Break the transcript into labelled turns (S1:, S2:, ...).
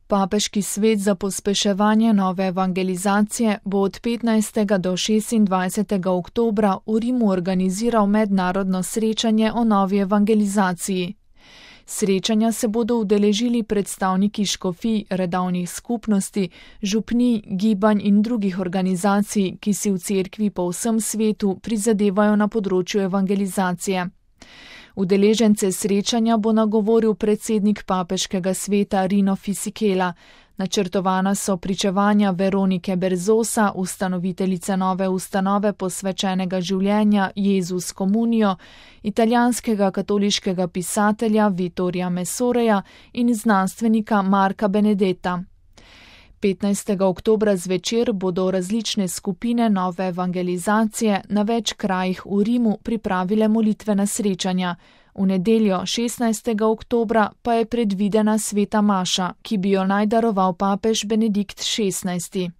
S1: Papeški svet za pospeševanje nove evangelizacije bo od 15. do 26. oktobra v Rimu organiziral mednarodno srečanje o novi evangelizaciji. Srečanja se bodo udeležili predstavniki škofij, redovnih skupnosti, župnij, gibanj in drugih organizacij, ki si v cerkvi po vsem svetu prizadevajo na področju evangelizacije. Udeležence srečanja bo nagovoril predsednik papeškega sveta Rino Fisichella. Načrtovana so pričevanja Veronike Berzosa, ustanoviteljice nove ustanove posvečenega življenja Jezus Communio, italijanskega katoliškega pisatelja Vittorija Messoreja in znanstvenika Marka Benedetta. 15. oktobra zvečer bodo različne skupine nove evangelizacije na več krajih v Rimu pripravile molitvena srečanja. V nedeljo 16. oktobra pa je predvidena sveta maša, ki bi jo naj daroval papež Benedikt XVI.